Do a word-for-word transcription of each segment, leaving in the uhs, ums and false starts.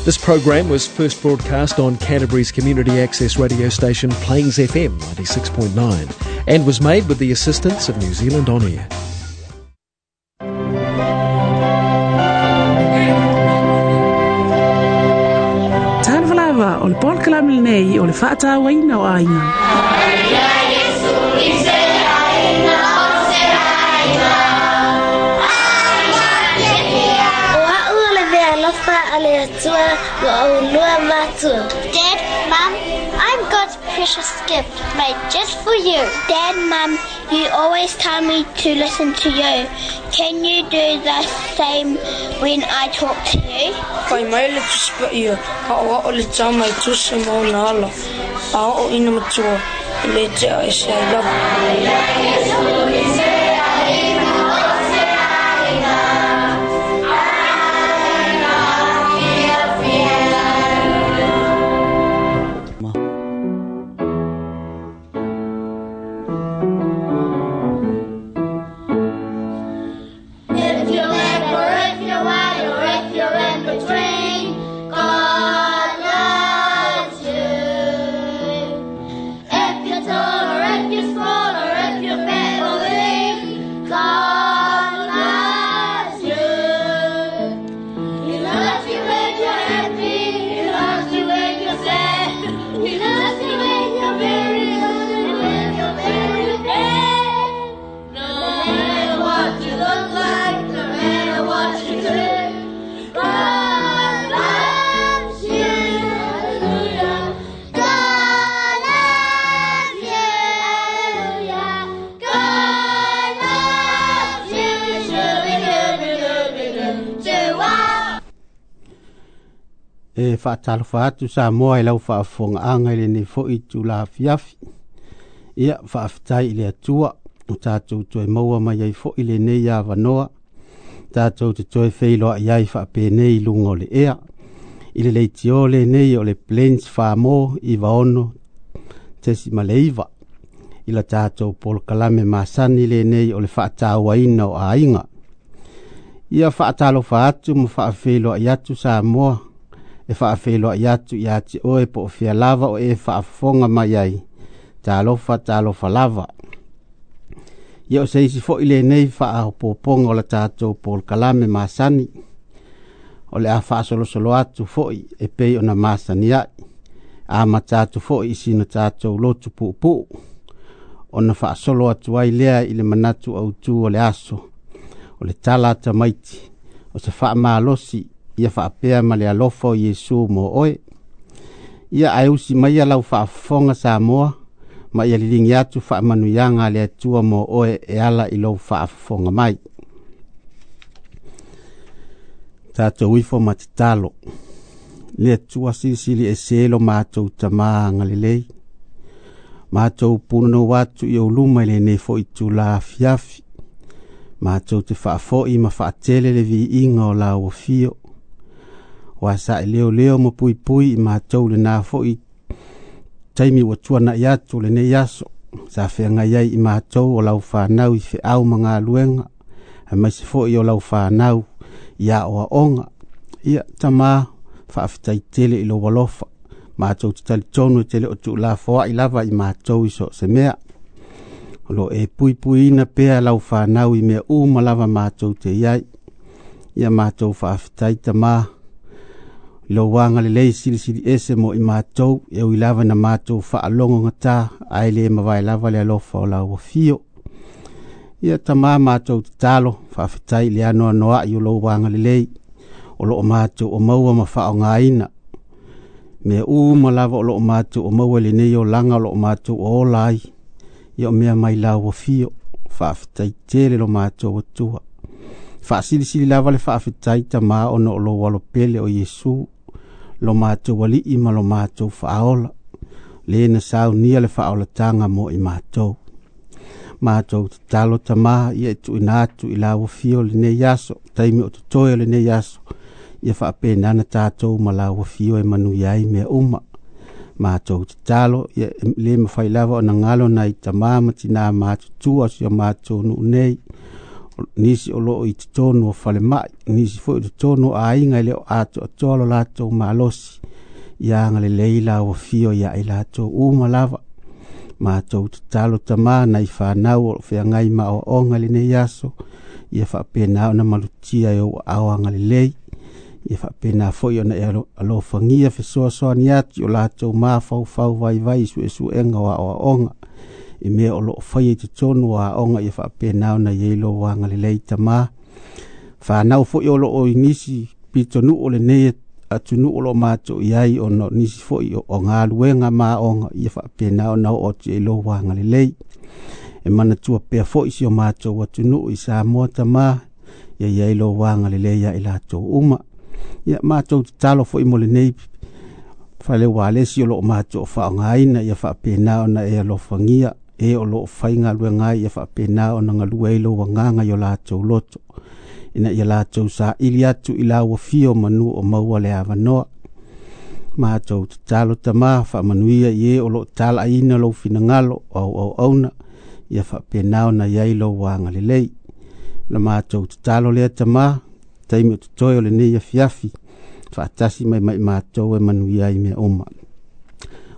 This program was first broadcast on Canterbury's community access radio station Plains F M ninety-six point nine and was made with the assistance of New Zealand On Air. O le polokalame lenei o le faatauaina o aiga. O au o le vealofa a le Atua ma o lua matua. Dad, Mum, I'm God's precious gift made just for you. Dad, Mum, you always tell me to listen to you. Can you do the same when I talk to you? Whai mai le tusipa ia, a o o le tāmai tusi mo nā ala, a o ina matua, i le tea e se ai lava. E whaatalofa atu sa moa i lau whaafonga i lenei fo'i tula afiafi. Ia whaaftai i le atua o tātou toe maua mai ai fo'i lenei avanoa. Tātou te toe wheiloa i ai whaapenei i lunga o le ea. I le leitio lenei o le Plains Whamo i vaono tesi maleiva. I la tātou polokalame masani lenei o le whaatauaina o aiga. Ia whaatalofa atu ma whaafeiloa i atu sa moa. E whaafeiloa i atu i ati oe po o fia lava o e whaafonga mai ai. Talofa, talofa lava. Ia o se isi fo'i lenei whaapoponga o la tātou polokalame masani. O le a whaasolosolo atu fo'i e pei o na masani ai. A matatu fo'i i sina tātou lotu puupuu. O na whaasolo atu ai lea i le manatu au tū o le aso. O le tala tamaiti. O se whaamalosi ia whaapea ma le alofa o Iesu mo oe. Ia ae usi mai lau whaafonga Samoa, ma ia lilingi atu whaamanuianga le Atua mo oe e ala i lou whaafonga mai. Tātou ifo ma te talo. Le Atua silisili e selo mātou tamā ngalelei. Mātou punono atu i o luma i lenei fo'i tula afiafi. Mātou te whaafoi ma whaatele le viinga o lau afio. Wa sa e leo leo mo pui pui i mātou le nā fo'i taimi ua tuana i atu le nei aso. Sa whengai ai i mātou o lau whanau i wheau ma ngā luenga. A mai se fo'i o lau whanau i a oa onga. Ia tamā whaaftai tele i lo walofa. Mātou te tali tonu tele o tu la foa i lava i mātou i so se mea. O lo e pui pui ina pea lau whanau i mea uma lava mātou te iai. Ia mātou whaaftai tamā. Lo wanga le lei silisili ese mo i mātou, e ui lava na mātou whaalongo ngata, ai le mawai lava le alofa o lau afio. Ia tamā mātou te talo, whaafetai le anoa noa i o lo wanga le lei, o lo o mātou o maua ma whaongaina. Mea uma lava o lo o mātou o maua le nei o langa o lo o mātou o ola ai, ia o mea mai lau afio, whaafetai tele lo mātou atua. Whaasilisili lava le whaafetai tamā ono o lo walopele o Iesu, lo mātou wali'i ma lo mātou whaola, le na saunia le whaolatanga mo i mātou. Mātou te talo tamā, ia e tuina atu i lau afio le nei aso, taimi o te toe o le nei aso, ia whaapenana tātou ma lau afio e manu iai mea uma. Mātou te talo, ia le mawhai lava o na ngalo na i tamā ma tina mātutua si o mātou nuu nei, Nisi o loo i totonu o falemai, nisi foi i totonu o aiga e le o atoatoa lo latou malosi. Ia agalelei lau afio ia i latou uma lava. Matou tatalo Tamā nai fanau o feagai ma aoaoga i lenei aso, ia faapena ona malutia e ou aao agalelei. Ia faapena foi ona e alofagia fesoasoani atu i o latou mafaufau vaivai i suesuega o aoaoga i mea o loo faia i totonu o aoga. Ia faapena ona i ai lou agalelei Tamā. Fanau foi o loo i nisi pitonuu o lenei atunuu o loo matou i ai ona o nisi foi o galuega ma aoga, ia faapena ona oo atu i lou agalelei. E manatua pea foi si o matou atunuu i Samoa Tamā, ia i ai lou agalelei ia i latou uma. Ia matou tatalo foi mo lenei fale ualesi o loo matou faaaogaina, ia faapena ona e alofagia e o loo faigaluega ai, ia faapena ona galue ai lou agaga i o latou loto, ina ia latou saili atu i lau afio manu o maua le avanoa. Matou tatalo Tamā, faamanuia i e o loo talaaina lou finagalo o auauauna, ia faapena ona i ai lou agalelei. La matou tatalo lea Tamā, taimi o totoe o lenei afiafi, faatasi mai mai matou e manuia ai mea uma.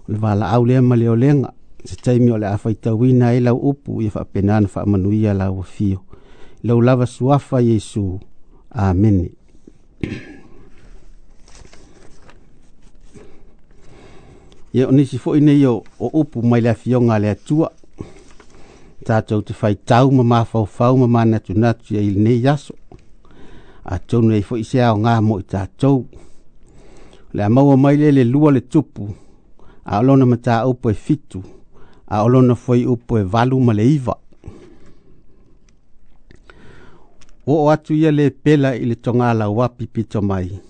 O le valaau lea ma le olega, se taimi o le a faitauina ai lau upu, ia faapena ona faamanuia lau afio. Lau lava suafa Iesu. Amene. Ia o nisi foi nei o, o upu mai le afioga a le Atua, tatou te faitau ma mafaufau ma manatunatu i lenei aso. Atonu ai foi se aoga mo i tatou. O le a maua mai lea le lua le tupu, a o lona mataupu e fitu, a o lona fuaiupu e valu ma le iva. Oo atu ia le pela i le togalauapi pito mai,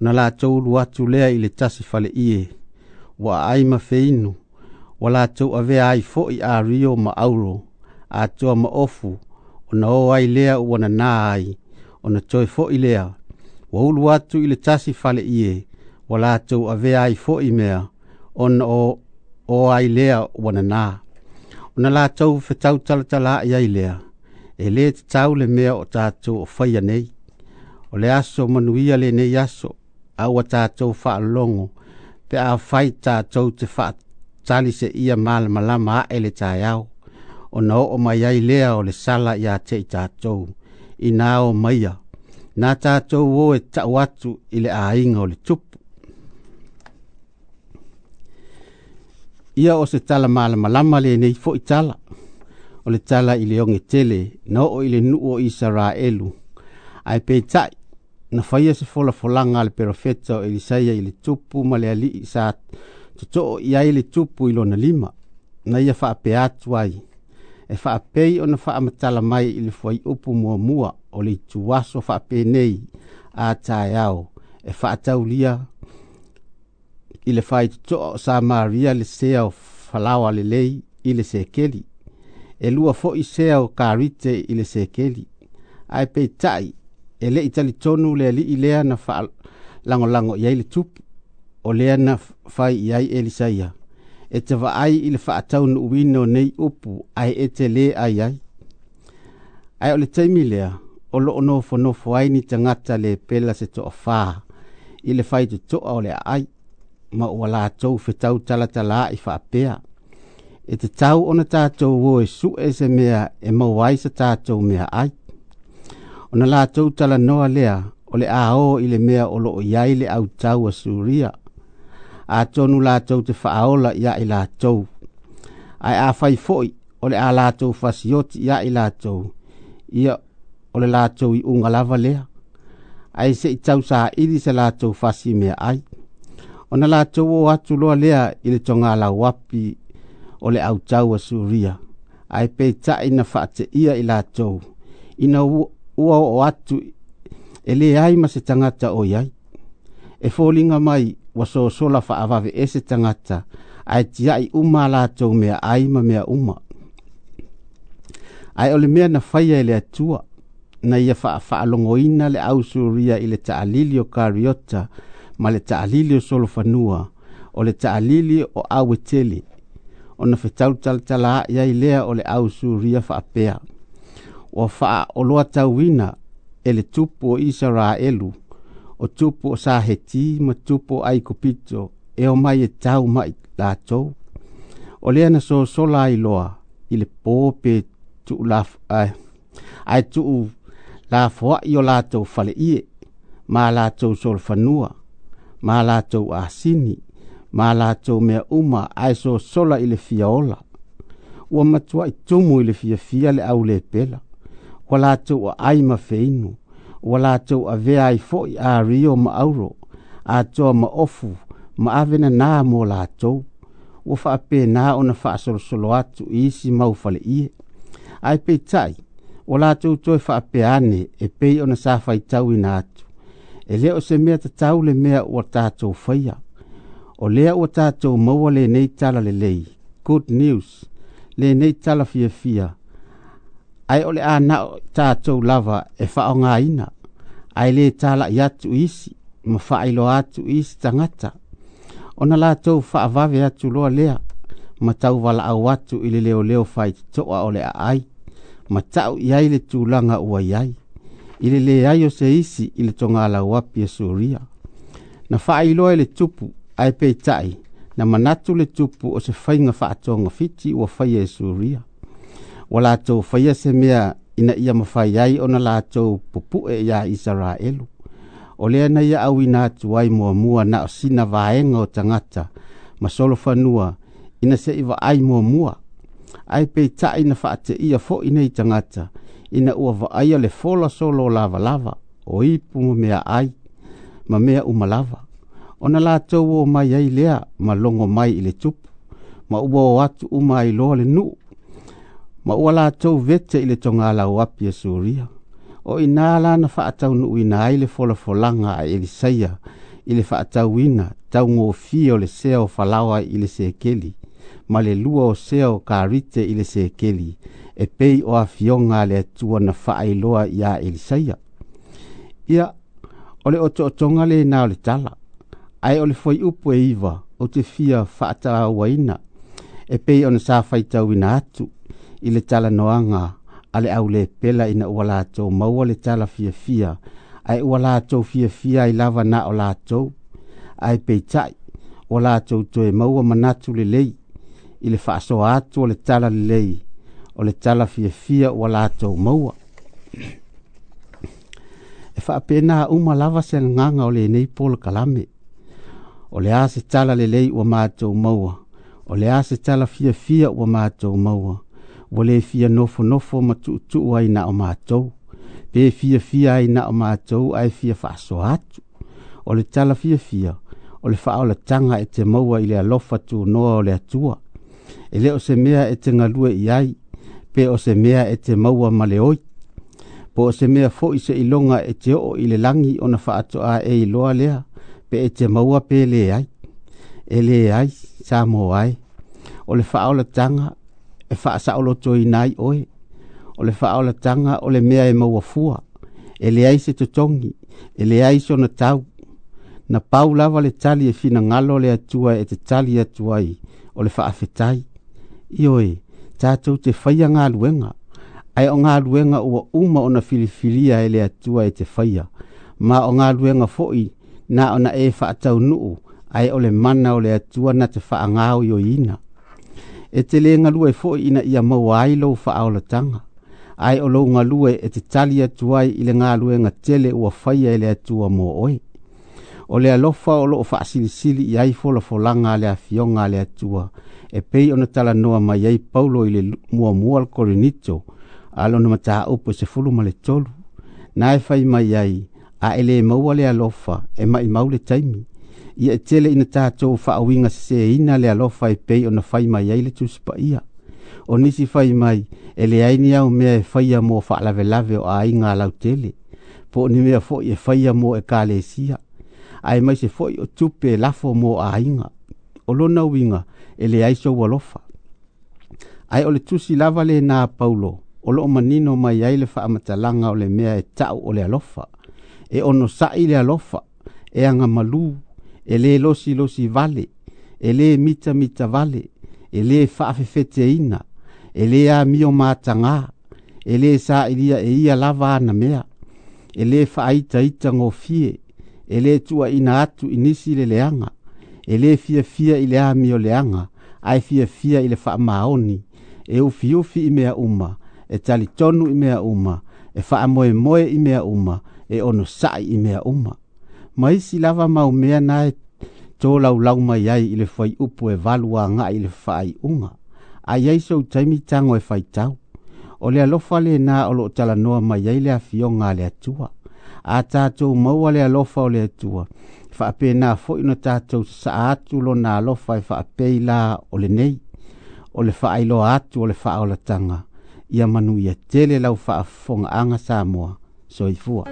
ona latou ulu atu lea i le tasi faleie, ua aai ma feinu, ua latou avea ai foi ario ma auro, atoa ma ofu, ona o ai lea ua nanā ai, ona toe foi lea, ua ulu atu i le tasi faleie, ua latou avea ai foi mea, ona o, o ai lea ua nanā. Ona latou fetau talatala ai lea, e le tatau le mea o tatou o faia nei. O le aso manuia lenei aso, a ua tatou faalogo, pe a fai tatou te faatali se ia malamalama ae le taeao, ona oo mai ai lea o le sala ia te i tatou, ina o maia, na tatou o e tau atu i le aiga o le tupu. Ia o se tala malamalama lenei foi tala, o le tala i le oge tele, na oo i le nuu o Isaraelu. Ae peitai, na faia se folafolaga a le perofeta o Elisaia i le tupu ma le alii sa totoo i ai le tupu i lona lima, na ia faapea atu ai, e faapei ona faamatala mai i le fuaiupu muamua o le ituaso faapenei a taeao, e faataulia i le faitotoa o Samaria le sea o falaoa lelei i le sekeli, e lua foi sea o karite i le sekeli. Ae peitai, e le i talitonu le alii lea na faalagolago i ai le tupu, o lea na fai i ai Elisaia, e te vaai i le faataunuuina o nei upu, ae e te lē ai ai. Ae o le taimi lea, o loo nofonofo ai ni tagata le pela se toafā i le faitotoa o le aai, ma ua latou fetau talatala ai faapea, e tatau ona tatou o e sue se mea e maua ai sa tatou mea ai. Ona latou talanoa lea, o le a o i le mea o loo i ai le autau a Suria, atonu latou te faaola ia i latou. Ae a fai foi, o le a latou fasioti ia i latou, ia o le latou iuga lava lea. Ae se i tausaili se latou fasi mea ai. Ona latou o atu loa lea i le togalauapi o le autau a Suria, ae peitai na faateia i latou, ina ua oo atu e leai ma se tagata o i ai. E foliga mai ua sosola faavaveese tagata, ae tiai uma a latou mea ai ma mea uma. Ae o le mea na faia e le Atua, na ia faafaalogoina le au Suria i le taalili o Kariota ma le taalili o Solofanua, o le taalili o Auetele, ona fetau talatala ai lea o le au Suria faapea, Ua faaoloatauina e le tupu o Isaraelu o tupu o Saheti ma tupu o Aikupito e o mai e tau mai latou. O lea na sosola ai loa i le pō pe tuu laf, ai, ai tuu lafoai o latou faleie, ma latou solofanua, ma latou asini, ma latou mea uma ae sosola i le fiaola. Ua matuai tumu i le fiafia le aulepela, ua latou aai ma feinu, ua latou avea ai foi ario ma auro, atoa ma ofu ma ave nanā mo latou. Ua faapena ona faasolosolo atu i isi mau faleie. Ae peitai, ua latou toe faapea ane e pei ona sa faitauina atu. E le o se mea tatau le mea ua tatou faia. O lea ua tatou maua lenei tala lelei, good news, lenei tala fiafia. Ae o le a na o tatou lava e faaaogaina, ae le talai atu isi ma faailoa atu isi tagata. Ona latou faavave atu loa lea, ma tauvalaau atu i le leoleo faitotoa o le aai, ma tau i ai le tulaga ua i ai, i le leai o se isi i le togalauapi e Suria. Na faailoa e le tupu, ae peitai, na manatu le tupu o se faiga faatogafiti ua faia e Suria. Ua latou faia se mea ina ia mafai ai ona latou pupu'e iā Isaraelu. O lea na ia auina atu ai muamua na o sina vaega o tagata ma solofanua ina se i vaai muamua. Ae peitai na faateia foi nei tagata ina ua vaaia le fola solo o lavalava, o ipu ma mea ai, ma mea uma lava. Ona latou o mai ai lea ma logo mai i le tupu, ma ua o atu uma ai loa le nuu, ma ua latou vete i le togalauapi e Suria. O ina la na faataunuuina ai le folafolaga a Elisaia i le faatauina taugofie o le sea o falaoa i le sekeli, ma le lua o sea o karite i le sekeli, e pei o afioga a le Atua na faailoa iā Elisaia. Ia, o le otootoga lena o le tala, ae o le fuaiupu e iva ou te fia faatauaina, e pei ona sa faitauina atu i le talanoaga a le aulepela ina ua latou maua le tala fiafia, ae ua latou fiafia ai lava na o latou. Ae peitai, ua latou toe maua manatu lelei i le faasoa atu o le tala lelei, o le tala fiafia ua latou maua. E faapena uma lava se agaga o lenei polokalame. O le a se tala lelei ua matou maua, o le a se tala fiafia ua matou maua, ua le fia nofonofo ma tuutuu ai na o matou, pe fiafia ai na o matou ae fia faasoa atu. O le tala fiafia, o le faaolataga e te maua i le alofa tunoa o le Atua. E le o se mea e te galue i ai, pe o se mea e te maua ma le oi. Po o se mea foi se iloga e te oo i le lagi ona faatoa e iloa lea, pe e te maua pe le ai. E le ai, sa mo ai. O le faaolataga e faasaolotoina ai oe. O le faaolataga o le mea e maua fua. E leai se totogi, e leai sona tau. Na pau lava le tali e finagalo le Atua e te tali atu ai, o le faafetai. Ioe, tatou te faia galuega, ae o galuega ua uma ona filifilia e le Atua e te faia, ma o galuega foi na ona e faataunuu, ae o le mana o le Atua na te faagaoioiina. E te le galue foi ina ia maua ai lou faaolataga, ae o lou galue e te tali atu ai i le galuega tele ua faia e le Atua mo oe. O le alofa o loo faasilisili i ai folafolaga a le afioga a le Atua, e pei ona talanoa mai ai Paulo i le muamua o le Korinito, a lona mataupu e sefulu ma le tolu. Na e fai mai ai, a e le maua le alofa, e maimau le taimi. Ia e tele ina tatou faauiga seseina le alofa e pei ona fai mai ai le Tusi Paia. O nisi fai mai, e leai ni au mea e faia mo faalavelave o aiga lautele, po o ni mea foi e faia mo ekalesia, ae mai se foi o tupe e lafo mo aiga. O lona uiga, e leai sou alofa. Ae o le tusi lava lena a Paulo, o loo manino mai ai le faamatalaga o le mea e tau o le alofa. E onosai le alofa, e agamalu, e le losilosi vale, e le mitamita vale, e le faafefeteina, e le amio matagā, E lē saʻilia e ia lava ana mea, e lē faaitaita gofie, e lē tuuaʻina atu i nisi le leaga, e lē fiafia i le amio leaga, ae fiafia i le faamaoni, e ufiufi i mea uma, e talitonu i mea uma, e faamoemoe i mea uma, e onosaʻi i mea uma. Ma isi lava mau mea na e tolaulau mai ai i le fuaiupu e valu agaʻi i le faaiuga, a iai sou taimi tago e faitau. O le alofa lenā o loo talanoa mai ai le afioga a le Atua. A tatou maua le alofa o le Atua, faapena foi ona tatou sasaa atu lona alofa e faapei la o lenei, o le faailoa atu o le faaolataga, ia manuia tele lau faafofogaaga Samoa. Soifua.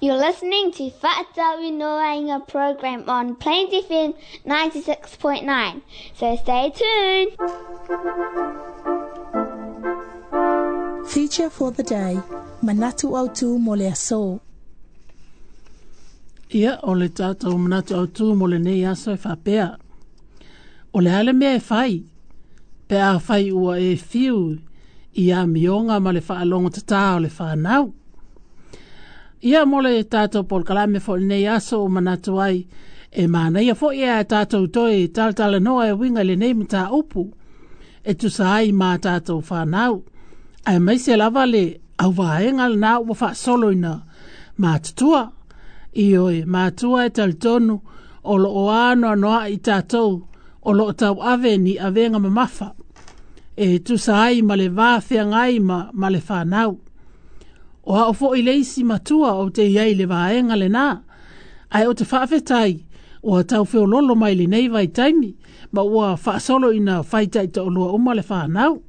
You're listening to Fa'atauinoaina program on Plains F M ninety-six point nine. So stay tuned. Feature for the day, Manatu Autu mo le aso. Ia, o le tātou manatu autu mo lenei aso e faapea. O le a le mea e fai, pe a fai ua e fiu i amioga ma le faalogotatā o le whanau. Ia mo le tātou polokalame fo lenei aso o manatu ai, e manaia foi e a tātou toe talatalanoa e uiga i lenei mataupu, e tusa ai ma tātou whanau. Aemaise lava le auvaega lenā ua faasoloina matutua. Ioe, matua e talitonu o loo anoanoai tātou o loo tauave ni avega mamafa e tusa ai ma le vafeagai ma, ma le whanau. O ao foi le isi matua o te iai le vaega lenā, ae o te faafetai ua taufeololo mai lenei vaitaimi ma ua faasolo ina faitaitaolua uma le whanau.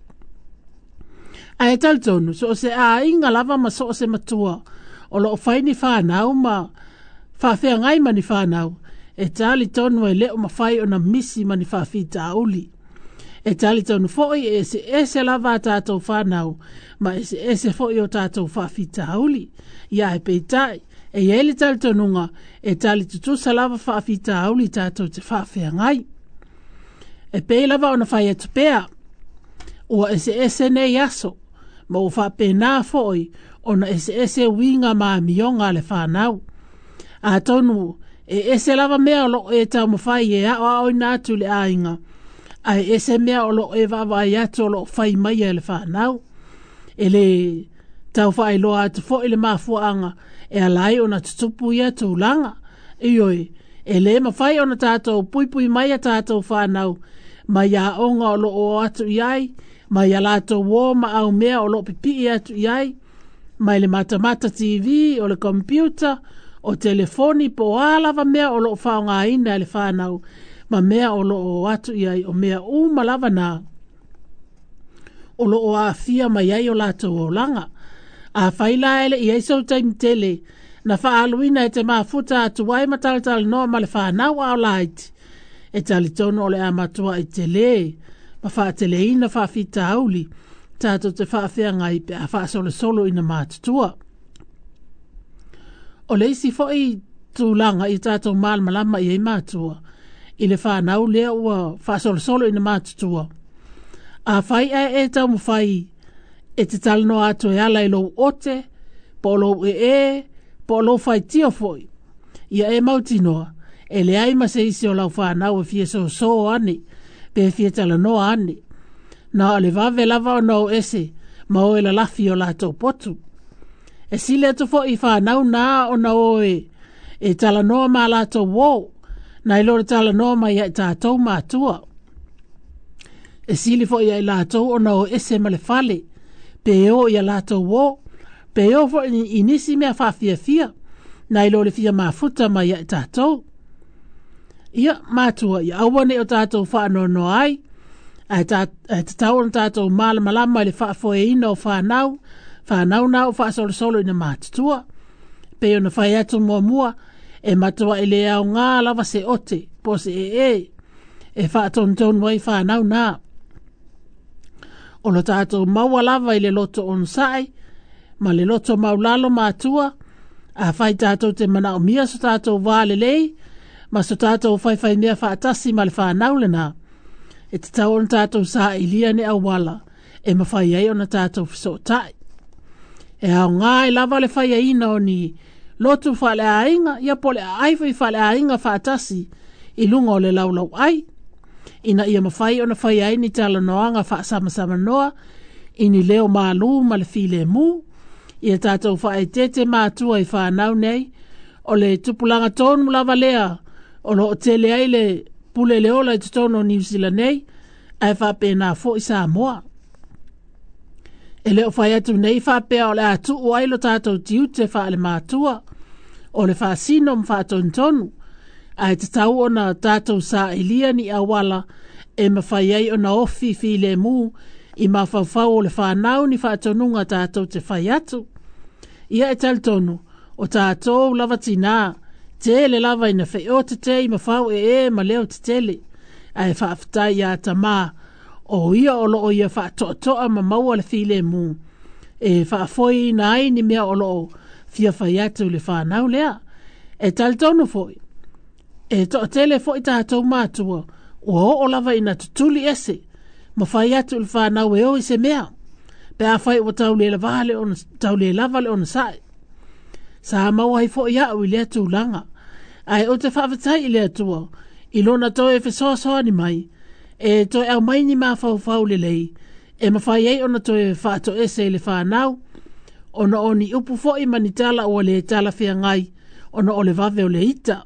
Ae talitonu, so o se aiga lava ma so o se matua o loo fai ni whanau ma faafeagai ma ni whanau, e talitonu e leo mawhai ona misi ma ni faafitauli. E talitonu foi e ese ese lava a tātou whanau, ma ese ese foi o tātou faafitauli. Ia e peitai, e iai le talitonuga, e talitutusa lava faafitauli tātou te faafeagai. E pei lava ona whai atu pea, ua ese ese nei aso, ma ua faapena foi ona ese ese uiga ma amioga a le whanau. Atonu, e ese lava mea o loo e taumafai e aoaoina atu i le aiga, ae ese mea o loo e vaavaai atu o loo fai maia e le whanau. E le taufaailoa atu foi le mafuaaga e ala ai ona tutupu ia tulaga. Ioe, e lē mafai ona tātou puipui mai a tātou whanau, mai aoga o loo o atu i ai, mai a latou uō ma aumea o loo pipii atu i ai, mai le matamata T V, o le computer, o telefoni, po o a lava mea o loo faaaogaina e le whanau, ma mea o loo o atu i ai, o mea uma lava nā o loo aafia mai ai o latou olaga. A fai la ele i ai sou taimi tele, na faaluina e te mafuta atu ai ma talatalanoa ma le whanau a o laiti, e talitonu o le a matua i tele, ma faateleina faafitauli, tātou te faafeagai pe a faasolosolo ina matutua. O le isi foi tulaga i tātou malamalama i ai matua, i le whanau lea ua faasolosolo ina matutua. A fai ae e taumafai e te talanoa atu e ala i lou ote, po o lou ee, po o lou faitio foi. Ia e mautinoa, e leai ma se isi o lau whanau e fia sosō ane, pe fia talanoa ane. Na o le vave lava ona o ese, ma o e lalafi o latou potu. E sili atu foi i whanau nā ona o e, e talanoa ma latou uō, na i lo le talanoa mai ai tātou matua. E sili foi ai latou ona o ese ma le fale, pe o ia latou uō, pe o foi i nisi mea faafiafia, na i lo le fia mafuta mai ai tātou. Ia, matua, ia aua nei o tātou faanoanoa ai, ae tatau ona tātou malamalama i le faafoeina o whanau, whanau nā o faasolosolo ina matutua. Pe ona fai atu muamua, e matua i le aogā lava se ote, po se ee, e faatonutonu ai whanau nā. O lo tātou maua lava i le loto onosai, ma le loto maulalo matua, a fai tātou te manaomia so tātou wā lelei, ma so tātou whaiwhai mea faatasi ma le whanau lenā. E tatau ona tātou saailia ni auala, e mawhai ai ona tātou feso'ota'i. E aogā e lava le faiaina o ni lotu faaleaiga, ia po o le aai foi faaleaiga faatasi i luga o le laulau ai. Ina ia mawhai ona fai ai ni talanoaga faasamsamanoa, i ni leo malū ma le filemu, ia tātou faaeteete matua i whanau nei, o le tupulaga tonu lava lea, o loo tele ai le pule le ola i totonu o Niu Sila nei, ae faapena foi Samoa. E leo fai atu nei faapea o le a tuu ai lo tātou tiute faale matua, o le faasino ma faatonutonu, ae tatau ona tātou saailia ni auala e mawhai ai ona ofi filemu i mafaufau o le whanau ni faatonuga tātou te fai atu. Ia e talitonu, o tātou lava tinā, tele lava ina feote i mawhau e e ma leo te tele, ae faafetai ia tamā, o ia o loo ia faatoatoa ma maua le filemu, E faafoeina ai ni mea o loo fia fai atu i le fanau lea. E talitonu foi, e toatele foi tatou matua, ua oo lava ina tutuli ese, ma fai atu i le fanau e o i se mea, pe afai ua tau le lava le ona, tau le lava le onosai. Sa maua ai foi au i lea tulaga, ae ou te faafetai i le Atua, i lona toe fesoasoani mai, e toe aumai ni mafaufau lelei, e mafai ai ona toe faatoese i le fanau, ona o ni upu foi ma ni tala ua le talafeagai, ona o le vave o le ita.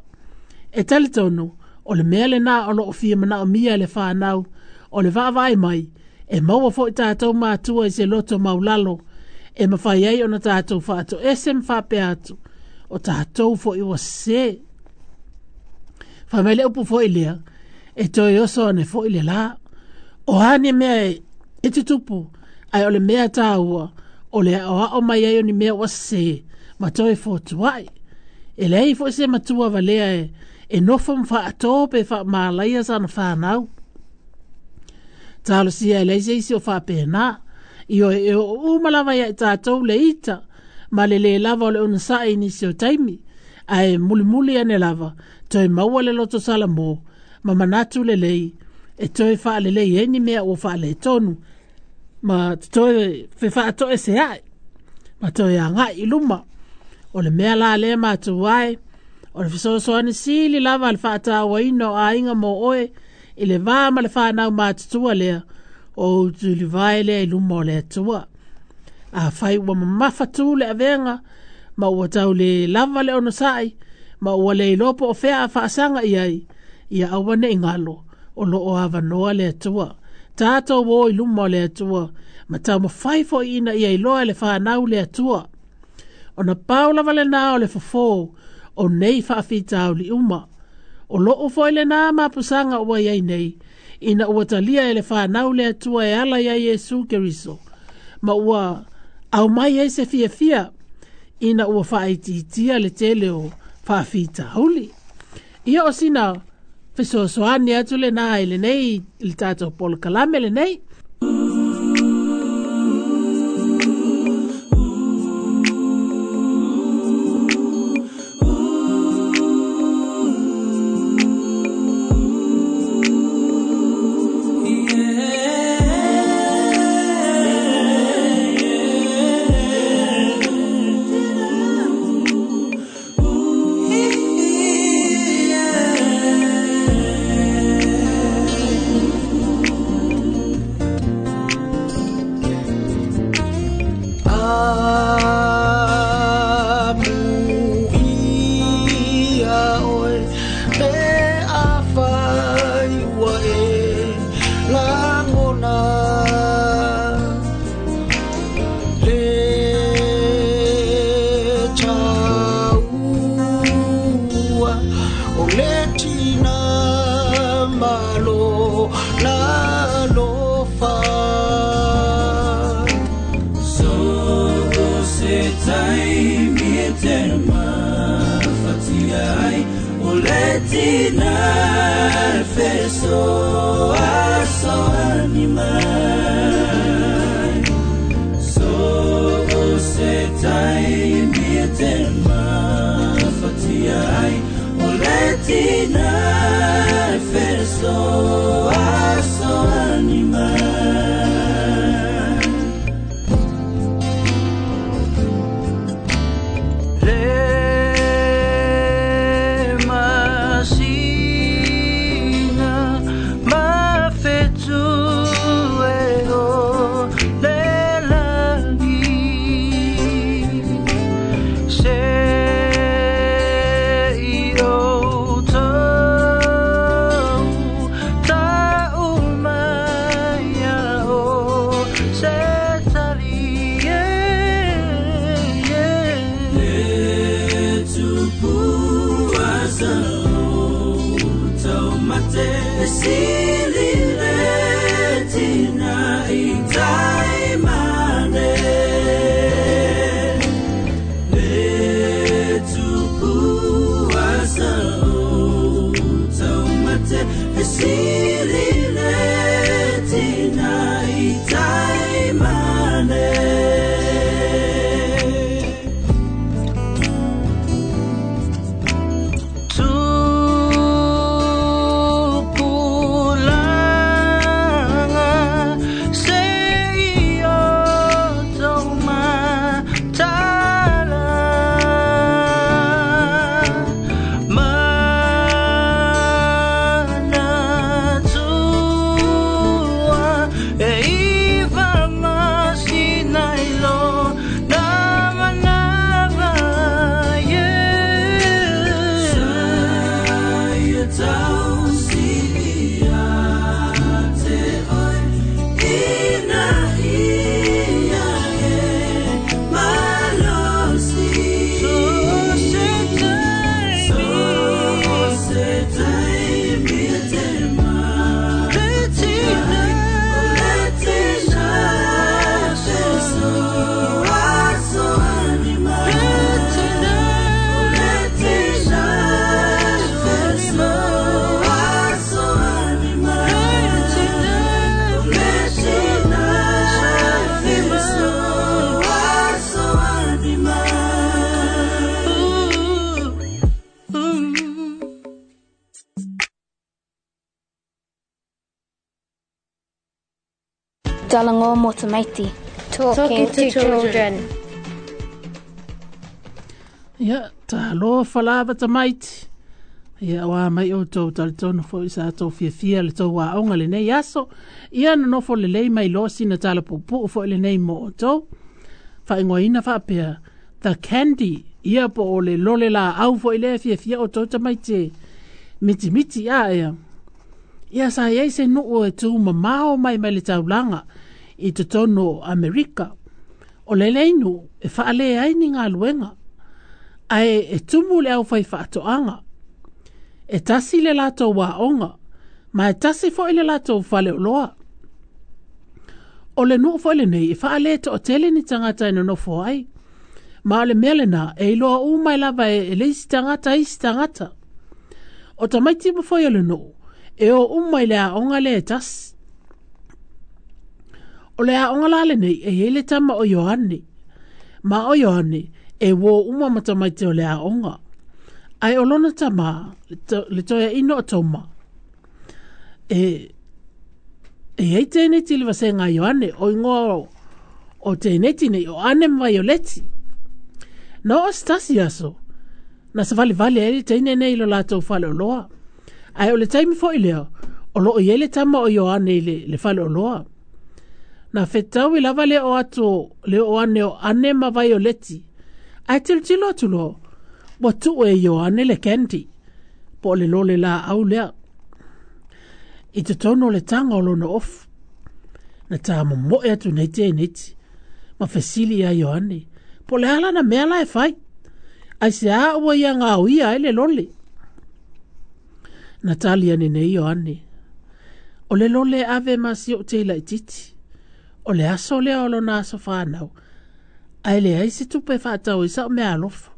E talitonu, o le mea lena o loo fia manaomia e le fanau, o le vaavaai mai, e maua foi tatou matua i se loto maulalo, e mafai ai ona tatou faatoese ma faapea atu, o tatou foi ua sese. Fai mai le upu foi lea, e toe oso ane foi le la. O a ni mea e, e tutupu, ae o le mea taua, o le aoao mai ai o ni mea ua sese, ma toe fotuai. E leai foi se matua valea e, e nofo ma faato pe faamalaia sana fanau. Talosia e leai se isi o faapena. Ioe e oo uma lava ia i tatou le ita, ma le le lava o le onosai i nisi o taimi. Ae mulimuli ane lava, toe maua le loto salamo, ma manatu lelei, e toe faalelei ai ni mea ua faaletonu, ma toe fefaatoese ai, ma toe agai i luma. O le mea la lea matua ai, o le fesoasoani sili lava le faatauaina o aiga mo oe, i le va ma le fanau matutua lea, o utulivae lea i luma o le Atua. Afai ua mamafa tu le avega, ma ua tau le lava le onosai, ma ua le iloa po o fea a faasaga i ai, ia aua ne i galo, o loo avanoa le Atua. Tatou o i luma o le Atua, ma taumafai foi ina ia iloa e le fanau le Atua. Ona pau lava lena o le fofo, o nei faafitauli uma. O loo foi lena mapusaga ua iai nei, ina ua talia e le fanau le Atua e ala ia Iesu Keriso, ma ua aumai ai se fiafia, ina ua faaitiitia le tele o faafitauli. Ia o sina fesoasoani atu lena i lenei, i le tatou polokalame lenei. Silile tina i taimane. Talanoa mo tamaiti. Talking to children. Ia, talofa lava tamaiti. Ia, ua mai outou talitonu foi sa tou fiafia le tou aoga lenei aso. Ia nonofo lelei mai loa sina tala puupuu foi lenei mo outou. Faaigoaina faapea, The Candy. Ia po o le lole laau foi lea fiafia outou tamaiti e mitimiti a ea. Ia sa iai se nuu e tu mamao mai mai le taulaga i totonu o Amerika. O le lenei nuu e faalē ai ni galuega, ae e tumu le aufai faatoaga. E tasi le latou aoga, ma e tasi foi le latou faleoloa. O le nuu foi lenei e faalē toatele ni tagata e nonofo ai. Ma o le mea lena e iloa uma ai lava e, e le isi tagata isi tagata. O tamaiti uma foi o le nuu, e o uma i le aoga lea e tasi. O le aoga la lenei e iai le tama o Ioane. Ma o Ioane e uō uma ma tamaiti o le aoga. Ae o lona tamā, le toeaina o Toma, e, e iai teineti i le vasega a Ioane, o igoa o, o teineti nei o Ane ma Vaioleti. Na oo se tasi aso, na savalivali ai le teine nei i lo latou faleoloa. Ae o le taimi foi lea, o loo iai le tama o Ioane i le, le faleoloa. Na fetaui lava le o atu le o ane o Ane ma Vaioleti. Ae tilotilo atu loa, ua tuu e Ioane le candy, po o le lole laau lea, i totonu o le taga o lona ofu. Na tamomoe atu nei teineti, ma fesili ia Ioane, po o le a lana mea la e fai, aisea ua ia gaoia ai le lole. Na tali ane nei Ioane, o le lole e ave ma si ou tei laitiiti, o le aso lea o lona aso fanau, ae leai se tupe e faatau ai sau meaalofa.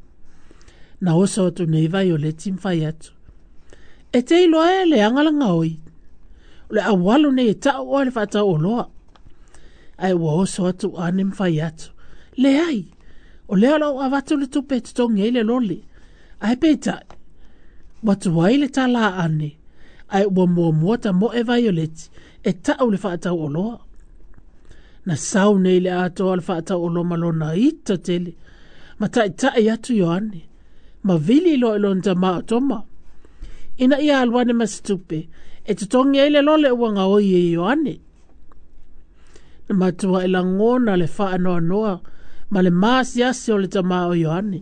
Na oso atu nei Vaioleti ma fai atu, e te iloa e leaga le gaoi, o le aualu nei e tau oe le faatau oloa. Ae ua oso atu Ane ma fai atu, leai, o lea o lou avatu le tupe e totogi ai le lole. Ae peitai, ua tuai le tala a Ane, ae ua muamua tamoe Vaioleti e tau le faatau oloa. Na sau nei le atoa o le faatau oloa ma lona ita tele, ma taitai atu Ioane, ma vili loa i lona tamā o Toma, ina ia alu ane ma se tupe e totogi ai le lole ua gaoi e Ioane. Na matuai lagona le faanoanoa ma le maasiasi o le tamā o Ioane.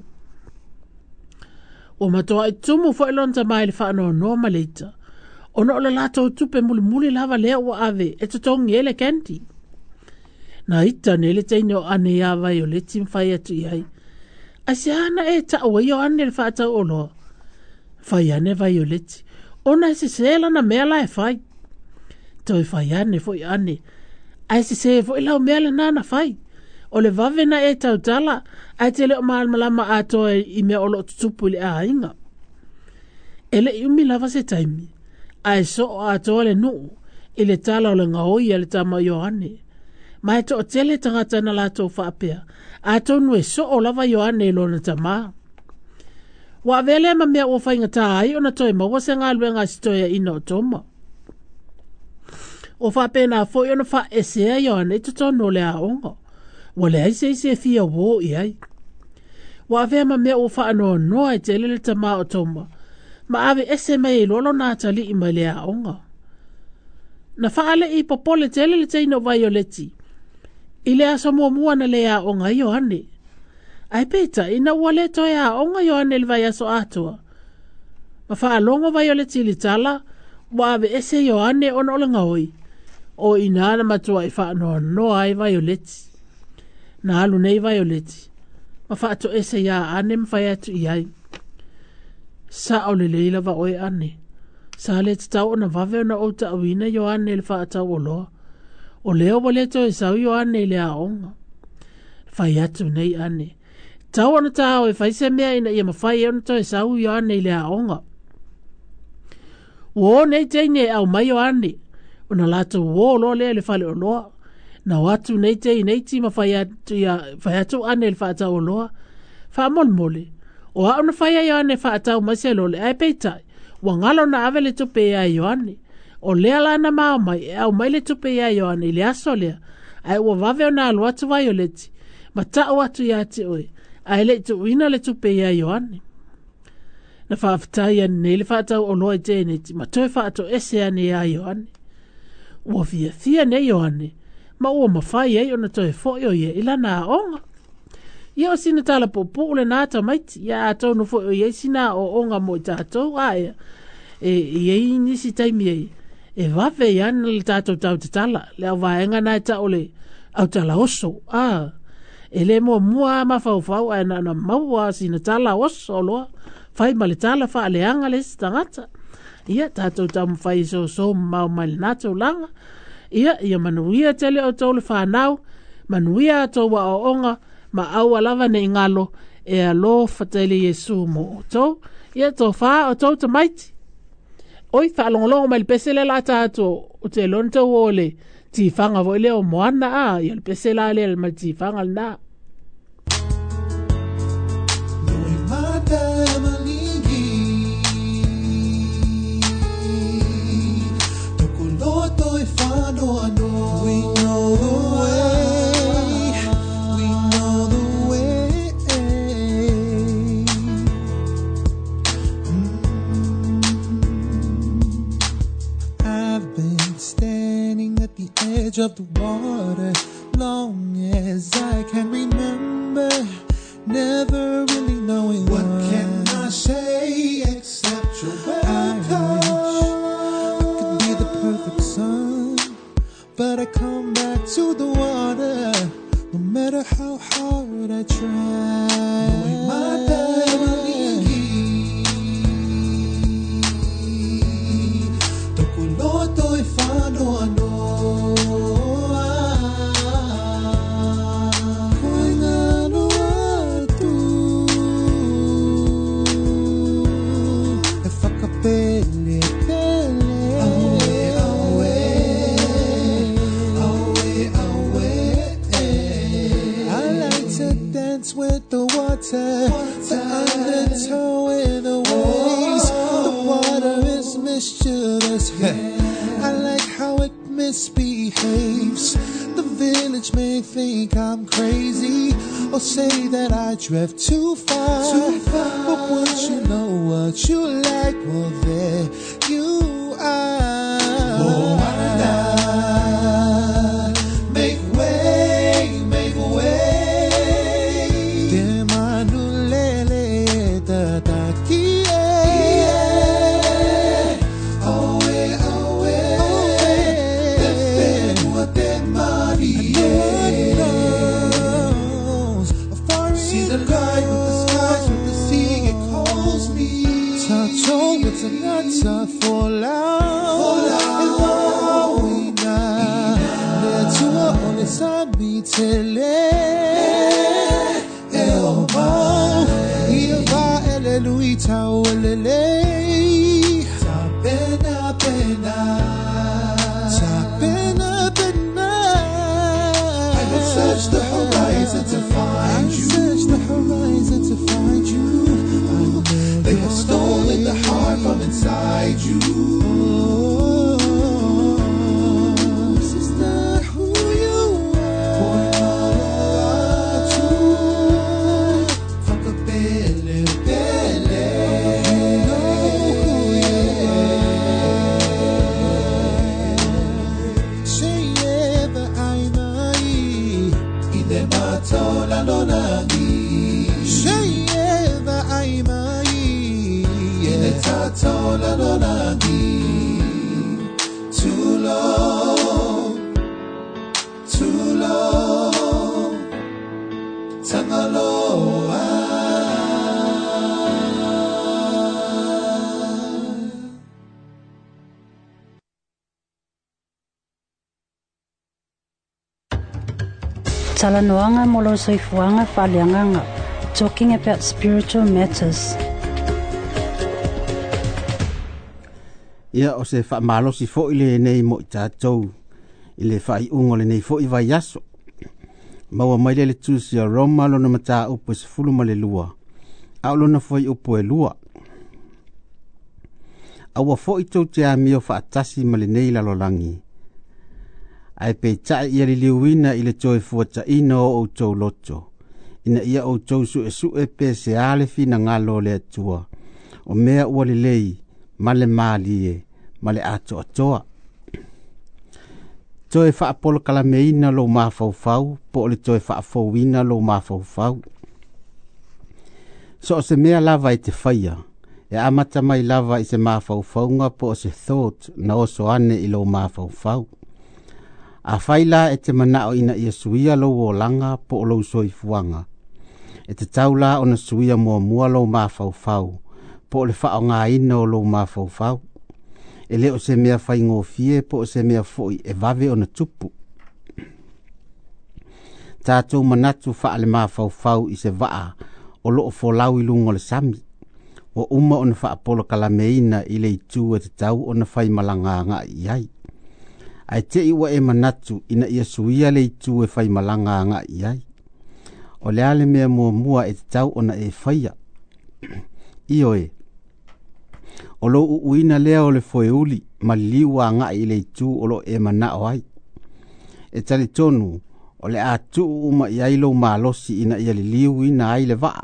Ua matuai tumu foi lona tamā i le faanoanoa ma le ita, ona o le latou tupe mulimuli lava lea ua ave e totogi ai le candy. Na ita nei le teine o Ane iā Vaioleti ma fai atu i ai, aisea na e tau ai Ioane le faatau oloa. Fai ane Vaioleti, ona e sesē lana mea la e fai. Toe fai ane foi Ane, ae sesē foi lau mea lenā na fai. O le vave na e tautala, ae te le o malamalama atoa i mea o loo tutupu i le aiga. E le'i umi lava se taimi, ae soo atoa le nuu i le tala o le gaoi a le tama o Ioane. Ma e toatele tagata na latou faapea, atonu e soo lava Ioane i lona tamā. Ua avea lea ma mea ua faigata ai ona toe maua se galuega a si toeaina o Toma. Ua faapena foi ona faaesea Ioane i totonu o le aoga, ua leai se isi e fia uō i ai. Ua avea ma mea ua faanoanoa ai tele le tamā o Toma, ma aveese mai ai loa lona atalii mai le aoga. Na faalii popole tele le teine o Vaioleti i le aso muamua na le aoga ai Ioane. Ae peitai ina ua le toe aoga Ioane i le vaiaso atoa, ma faalogo Vaioleti i le tala ua aveese Ioane ona o le gaoi, o i ina na matuai faanoanoa ai Vaioleti. Na alu nei Vaioleti ma faatoese iā Ane ma fai atu i ai, sao lelei lava oe Ane, sa le tatau ona vave ona ou taauina Ioane i le faatau oloa. O lea ua le toe sau Ioane i le aoga. Fai atu nei Ane, tau ona tāo e fai se mea ina ia mafai ai ona toe sau Ioane i le aoga. Ua o nei teine e aumai Ioane, ona latou uō loa lea i le faleoloa. Na o atu nei teineiti ma fai atu, ia, fai atu Ane i le faatau oloa. Faamolemole, o au na fai a Ioane e faatau mai se lole, ae peitai, ua galo na ave le tupe ia Ioane. O lea la na mao mai e aumai le tupe ia Ioane i le aso lea, Ae ua vave ona alu atu Vaioleti, ma ta'u atu iā te oe, ae le'i tu'uina le tupe iā Ioane. Na fa'afetai ane nei le fa'atau oloa i Teneti ma toe fa'ato'ese ane iā Ioane. Ua fiafia nei Ioane, ma ua mafai ai ona toe fo'i o ia i lana a'oga. Ia o sina tala pu'upu'u lenā tamaiti, ia atonu fo'i o iai sina a'o'oga mo i tatou aea, e iai nisi taimi ai, e vave ai ana le tatou tautatala, le auvaega na e ta'o le autala oso, a, e lē muamua a mafaufau ae na ona maua sina tala oso loa, fai ma le tala fa'aleaga le isi tagata. Ia tatou taumafai e soso mamao mai lenā taulaga. Ia, ia manuia tele outou le fanau, manuia atou a'o'oga, ma aua lava ne'i galo e alofa tele Iesu mo outou. Ia tofā outou tamaiti. Oi, fa'alogologo mai le pese lea la ta atu o te iloa na tau o le tifaga foi lea o Moana a, ia le pese la lea ma le tifaga lenā. We know the way, we know the way. Mm. I've been standing at the edge of the water long as I can remember, never really knowing what can I say except you're welcome. I wish I could be the perfect son, but I come back to the water, no matter how hard I try. With the water, the undertow in the waves. The water is mischievous. I like how it misbehaves. The village may think I'm crazy or say that I drift too far. Too far. But once you know what you like, well, there you are. Moana, make way, make way. I have searched the horizon to find you. Searched the horizon to find you. They have stolen the heart from inside you. This is not who you are. You know who you are. Say ever I mai. Say ever I mai. Too low, too low, Tangaloa. Talanoaga mo lou soifuaga faaleagaga. Talking about spiritual matters. Ia o se fa'amalosi fo'i lenei mo i tatou i le fa'ai'uga o lenei fo'i vaiaso. Maua mai lea le tusi a Roma lona matāupu e sefulu ma le lua, a o lona fuai'upu e lua. Aua fo'i tou te amio fa'atasi ma lenei lalolagi, Ae peitai ia liliuina i le toe fuataina o outou loto, ina ia outou suesue pe se a le finagalo o le Atua, o mea ua lelei ma le malie ma le atoatoa. Toe faapolokalameina lou mafaufau po o le toe faafouina lou mafaufau. So o se mea lava e te faia, e amata mai lava i se mafaufauga po o se thought na oso ane i lou mafaufau. Afai la e te manao ina ia suia lou olaga po o lou soifuaga, e tatau la ona suia muamua lou mafaufau po o le faaaogaina o lou mafaufau. E le o se mea faigofie po o se mea foi e vave ona tupu. Tatou manatu faale-mafaufau i se vaa o loo folau i luga o le sami, ua uma ona faapolokalameina i le itu e tatau ona faimalaga agai i ai. Ae te i ua e manatu ina ia suia le itu e faimalaga agai i ai. O le a le mea muamua e tatau ona e faia? Ioe, o lou uuina lea o le foeuli ma liliu agai i le itu o loo e manao ai. E talitonu o le a tuu uma i ai lou malosi ina ia liliuina ai le vaa.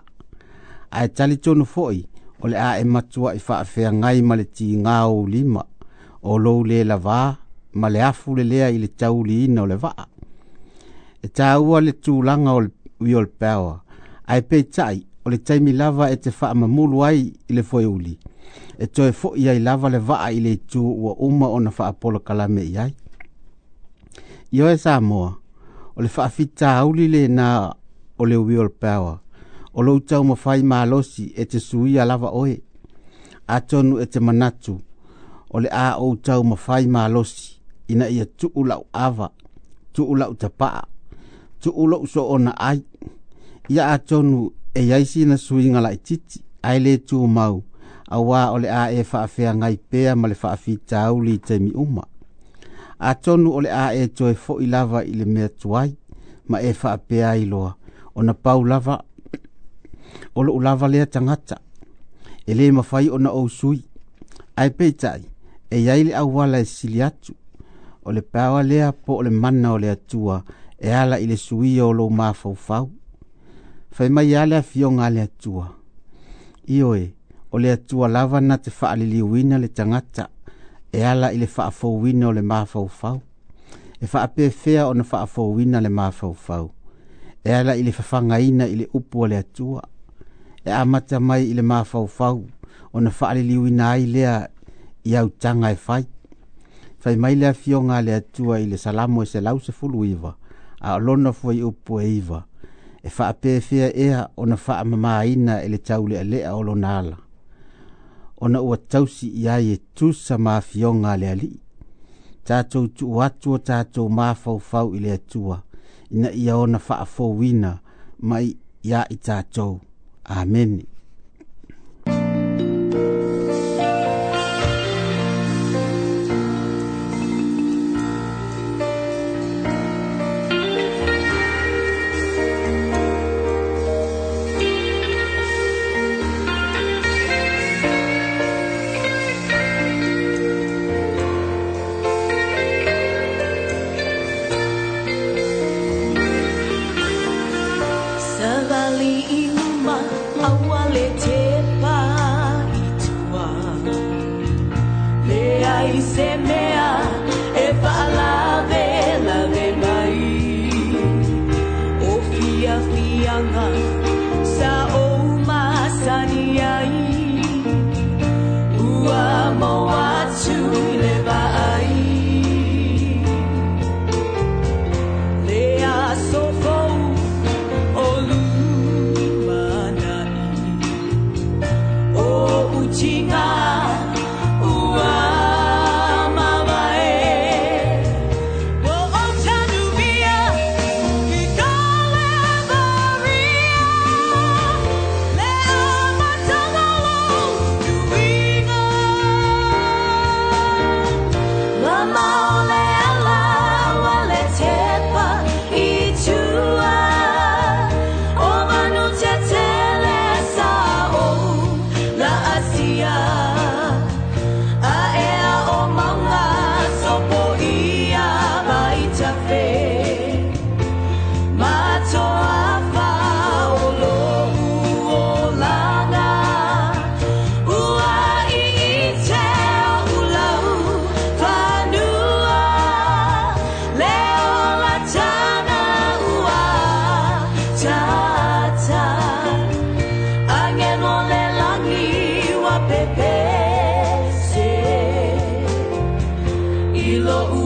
Ae talitonu foi o le a e matuai faafeagai ma le tiga o ou lima, o lou le lavā ma le afu lelea i le tauliina o le vaa. E taua le tulaga o le willpower, ae peitai o le taimi lava e te faamamulu ai i le foeuli, e toe foi ai lava le vaa i le itu ua uma ona faapolokalame i ai. Ioe Samoa, o le faafitauli lena o le willpower, o lou taumafai malosi e te suia lava oe. Atonu e te manatu, o le a ou taumafai malosi ina ia tuu lau ava, tuu lau tapaa, tuu lou soona ai. Ia atonu e iai sina suiga laititi, ae le tumau, auā o le a e faafeagai pea ma le faafitauli i taimi uma. Atonu o le a e toe foi lava i le mea tuai, ma e faapea ai loa, ona pau lava, o lou lava lea tagata, e le mafai ona ou sui. Ae peitai, e iai le auala e sili atu, o le power lea po o le mana o le Atua e ala i le suia o lou mafaufau. Fai mai a le afioga a le Atua. Ioe, o le Atua lava na te faaliliuina le tagata e ala i le faafouina o le mafaufau. E faapefea ona faafouina le mafaufau, e ala i le fafagaina i le upu a le Atua. E amata mai i le mafaufau ona faaliliuina ai lea i autaga e fai. Fai mai le afioga a le Atua i le Salamo e selau sefulu iva, a o lona fuaiupu e iva, e faapefea ea ona faamamaina e le taulealea o lona ala, ona ua tausi i ai e tusa ma afioga a le Alii. Tatou tuu atu o tatou mafaufau i le Atua, ina ia ona faafouina mai ia i tatou. Amene. Savali iluma awale te pa itua le ai se mea e whaalave lave mai o fia fianga sa o masani ai ua mo atu le vai le aso Tinga ua mavae.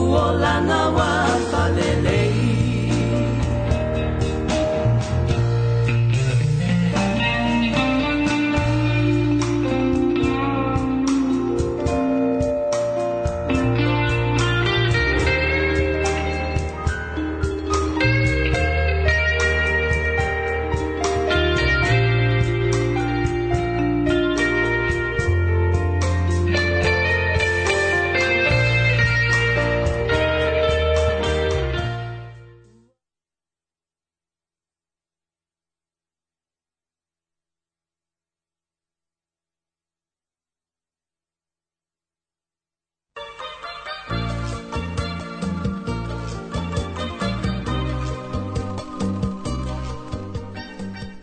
olanga wa falelei.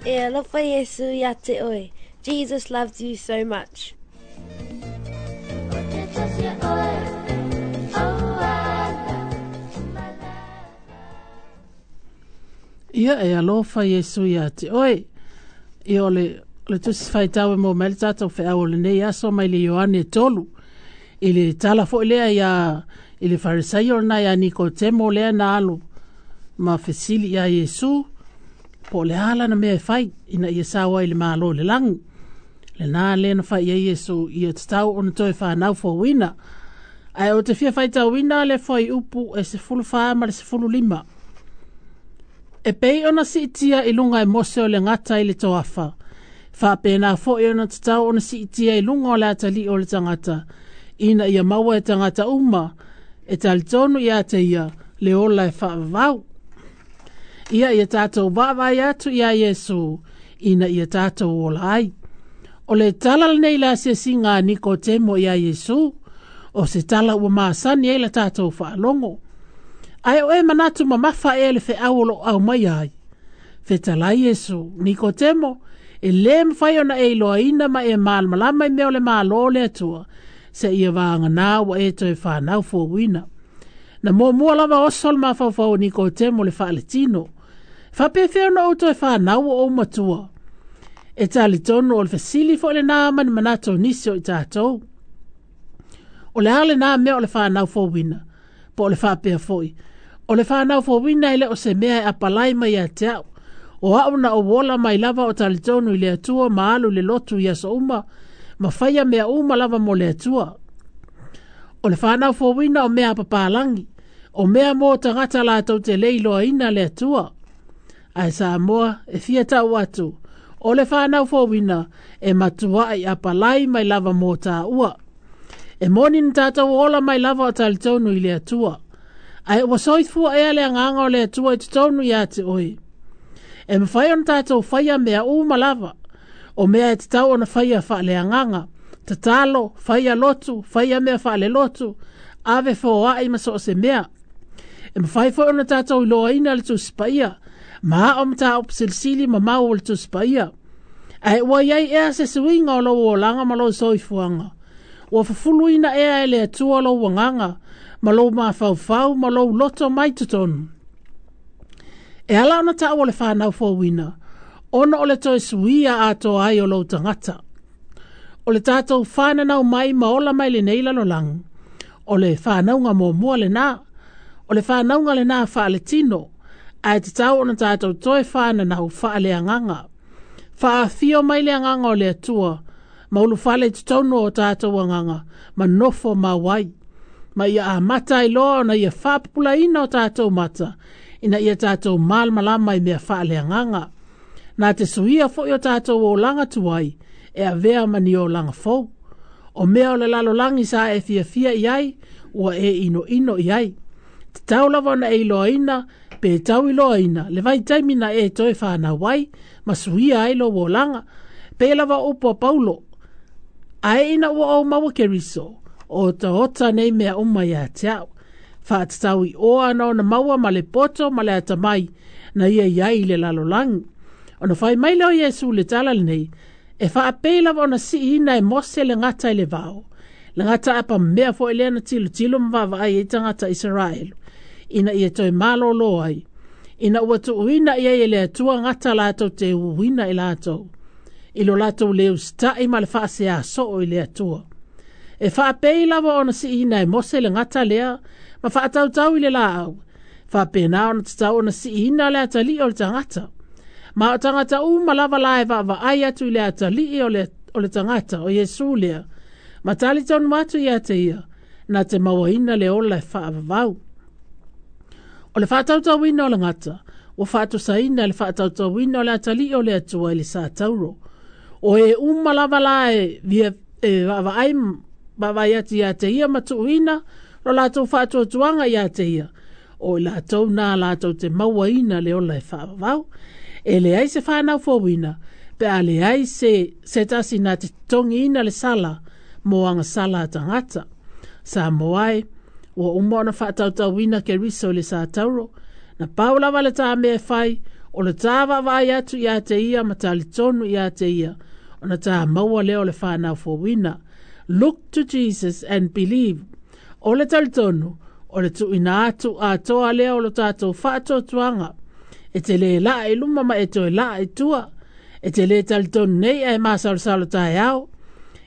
E alofa Iesu ia te oe. Jesus loves you so much. Ia e alofa Iesu ia te oe. Ia o le, le tusi whaitau e mō mai le tātou wheau o lenei aso mai le Ioane tolu. I le tala fo'i lea ia i le Farisaio na ia Nikotemo lea na alu ma fesili ia Iesu po le ala na mea e fai ina ia sawa i le malo le langi. Le nā lea na fai ia Iesu ia tatau ona toe whanau fōuina. Ae o te fia whaitauina le foi upu e se fulu wha ma le se fulu lima. E pei ona siitia i lunga e Mose o le ngata i le toafa. Whapena foi ona tatau ona siitia i lunga o le atali o le tangata. Ina ia maua e tangata uma e talitonu ia te ia le ola e whaavau. Ia ia tātou waawai atu ia Iesu, ina ia tātou ola ai. O le tala lenei la asiasiga a Nikotemo ia Iesu, o se tala ua masani ai la tātou faalogo. Ae o e manatu mamafa e le feau o loo au mai ai. Fetalai Iesu, Nikotemo, e lē mafai ona e iloaina ma e malamalama i mea o le Malo o le Atua, se ia vaganā ua e toe fanau fouina. Na muamua lava oso le mafaufau o Nikotemo le faaletino. Faapefea ona ou toe fanau o ou matua. E talitonu o le fesili fo'i lenā ma ni manatu o nisi o i tatou. O le a lenā mea o le fanau fouina, po o le faapea fo'i. O le fanau fouina e le o se mea e apalai mai ia te au. O au na ou ola mai lava o talitonu i le Atua ma alu le lotu i aso uma, ma faia mea uma lava mo le Atua. O le fanau fouina o mea papalangi, o mea mo tagata latou te le iloaina le Atua. Ae Samoa e fia tau atu, o le whanau fōwina e matuai apalai mai lava mō tāua. E moni ni tātou ola mai lava o talitonu i le Atua. Ae ua soifua ea le anganga o le Atua i totonu ia te oe. E mawhai ona tātou whaia mea uma lava, o mea e tatau ona whaia whaale anganga, tatalo, whaia lotu, whaia mea whaale lotu, ave fōai ma so o se mea. E mawhai foi ona tātou iloaina le tusipaia, ma o mata o silisili ma mau o le tusipaia. Ae ua iai ea se suiga o lou olaga ma lou soifuaga. Ua fafuluina ea e le Atua lou agaga, ma lou mafaufau ma lou loto mai totonu. E ala ona taua o le fanau fouina, ona o le toe suia atoa ai o lou tagata. O le tātou whananau mai ma ola mai lenei lalolagi. O le whanauga muamua lenā. O le whanauga lenā faaletino. Ae tatau ona tātou toe whananau faaleagaga. Faafio mai le agaga o le Atua, ma ulufale i totonu o tātou agaga, ma nofo mau ai. Ma ia amata ai loa ona ia faapupulaina o tātou mata, ina ia tātou malamalama i mea faaleagaga. Nā te suia foi o tātou olaga tuai, e avea ma ni olaga fou. O mea o le lalolagi sa e fiafia i ai, ua e inoino i ai. Tatau lava ona e iloaina, pe tau iloaina, le vaitaimi na e toe whanau ai, ma suia ai lou olaga. Pe lava upu a Paulo, ae ina ua ou maua Keriso, o otaota nei mea uma ia te au. Faatatau i oa ana ona maua ma le poto ma le atamai, na ia iai i le lalolagi. Ona fai mai lea o Iesu le tala lenei, e faapei lava ona siina e Mose le gata i le vao. Le gata apa mea fo'i lea na tilotilo ma vaavaai ai tagata Isaraelu, ina ia toe malōlō ai. Ina ua tuuina ia e le Atua gata latou te uuina i latou, i lo latou le usita'i ma le faaseā soo i le Atua. E faapei lava ona siina e Mose le gata lea, ma faatautau i le laau. Faapena ona tatau ona siina le atalii o le tagata. Ma o tagata uma lava la e vaavaai atu i le atalii o le, o le tagata, o Iesu lea. Ma talitonu atu ia te ia, na te mauaina le ola e faavavau. O le faatautauina o le gata, ua faatosaina le faatautauina o le atalii o le Atua i le sa tauro. O e uma lava la e, via, e vaavaai vaavaai atu ia te ia ma tuuina, lo latou faatuatuaga ia te ia. O i latou nā latou te mauaina le ola e faavavau. E leai se whanau fouina, pe a leai se, se tasi nā te totogiina le sala, mo anga sala a tagata. Sa moae, ua uma ona faatautauina Keriso i le sa tauro, na pau lava le tā mea fai, o le tā vaavaai atu ia te ia ma talitonu ia te ia, ona tā maua lea o le whanau fouina. Look to Jesus and believe. O le talitonu, o le tuuina atu atoa lea o lo tātou faatuatuaga. E te le laa i luma ma e toe laa i tua. E te le talitonu nei ae masalosalo taeao.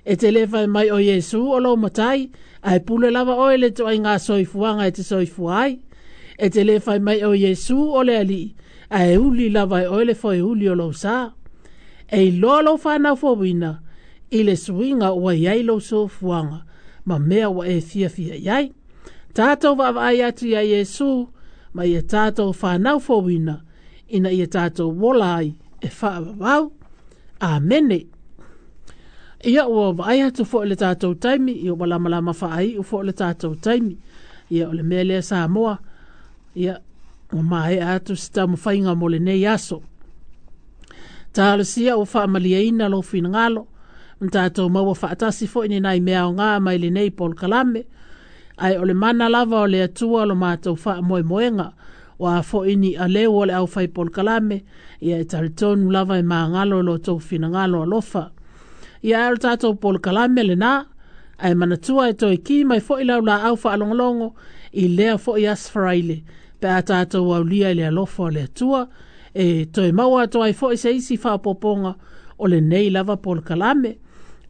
E te le fai mai o Iesu o lou matai, ae pule lava oe le toaiga soifuaga e te soifua ai. E te le fai mai o Iesu o le alii, ae uli lava e oe le foeuli o lou sa. E iloa lou whanau fouina, i le suiga ua iai lou soifuaga, ma mea ua e fiafia iai. Tātou vaavaai atu ia Iesu, ma ia tātou whanau fouina, ina ia tātou wola ai e faavavau. Amene. Ia ua vaai atu fo'i le tātou taimi, ia ua lamalama faaiu fo'i le tātou taimi. Ia o le mea lea Samoa, ia ua maea atu se taumafaiga mo lenei aso. Talosia ua faamaliaina lou finagalo, ma tātou maua faatasi fo'i ni nai mea aogā mai lenei polokalame. Ae o le mana lava o le Atua lo matou faamoemoega, o a fo'i ni aleu o le aufai polokalame, ia e talitonu lava e magalo lo tou finagalo alofa. Ia ae o le tātou polokalame lenā, ae manatua e toe ki mai fo'i lau laau faalogologo i lea fo'i aso Faraile, pe a tātou aulia i le alofa o le Atua, e toe maua atu ai fo'i se isi faaopoopoga o lenei lava polokalame.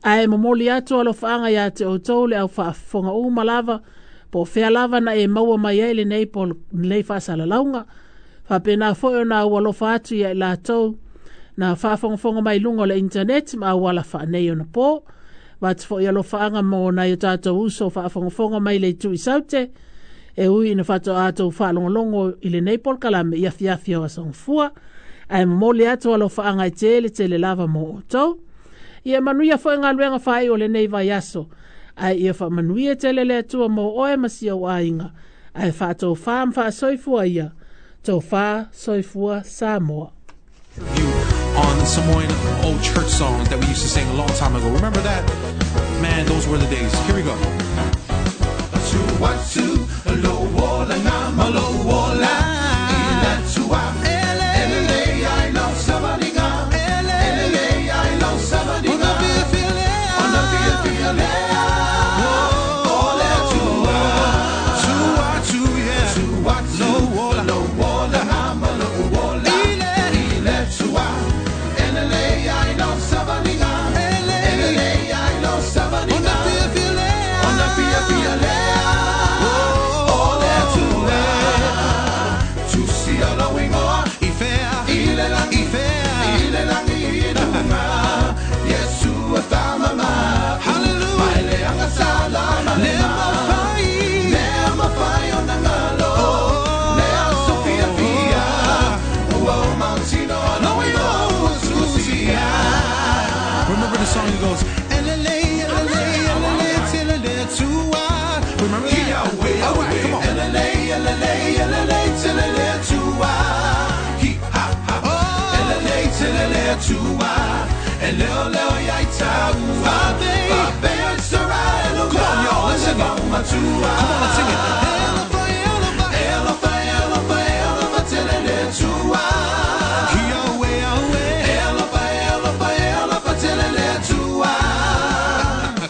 Ae momoli atu alofaaga ia te outou le au faafofoga uma lava, po o fea lava na e maua mai ai lenei pol, lenei faasalalauga. Faapena fo'i ona au alofa atu ia i latou na faafogafoga mai luga o le internet ma auala faanei ona po. Vatu fo'i alofaaga mo nai o tātou uso faafogafoga mai le itu i Saute, e ui ina faatoa tou faalogologo i lenei polokalame i afiafi o aso Gafua. Ae momoli atu alofaaga e tele tele lava mo outou. Ia manuia fo'i galuega faaiu o lenei vaiaso. Ae ia faamanuia tele le Atua mo oe ma si ou aiga. Ae faatofā ma faasoifua ia. Tofā soifua Samoa. On Samoan old church songs that we used to sing a long time ago. Remember that? Man, those were the days. Here we go. Remember the song that goes, remember that? All right, come on. Come on, y'all, let's sing it. Come on, let's sing it.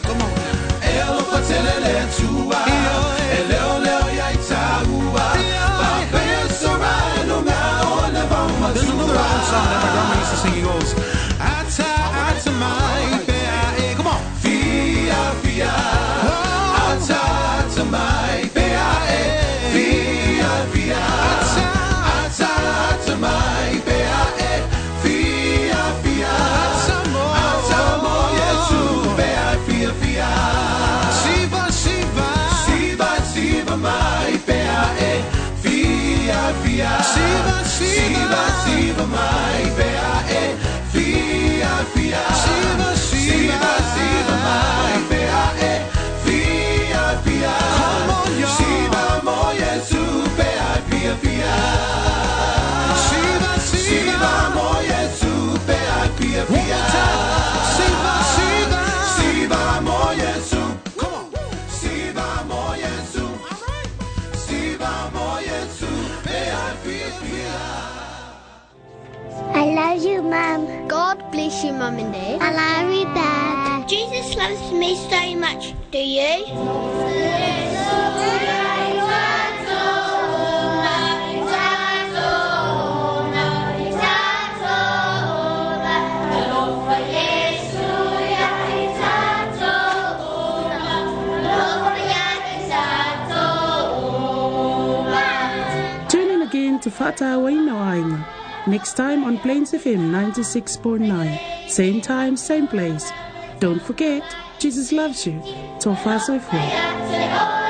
Come on. There's another old song that my grandma used to sing. He goes, Ata, ata, mai, fea, e. Come on. Fia, fia. Mum. God bless you, Mum and Dad. I love you, Dad. Jesus loves me so much. Do you? Tune in again to Fa'atauaina o Aiga next time on Plains F M ninety-six point nine. Same time, same place. Don't forget, Jesus loves you. Tofa soifua.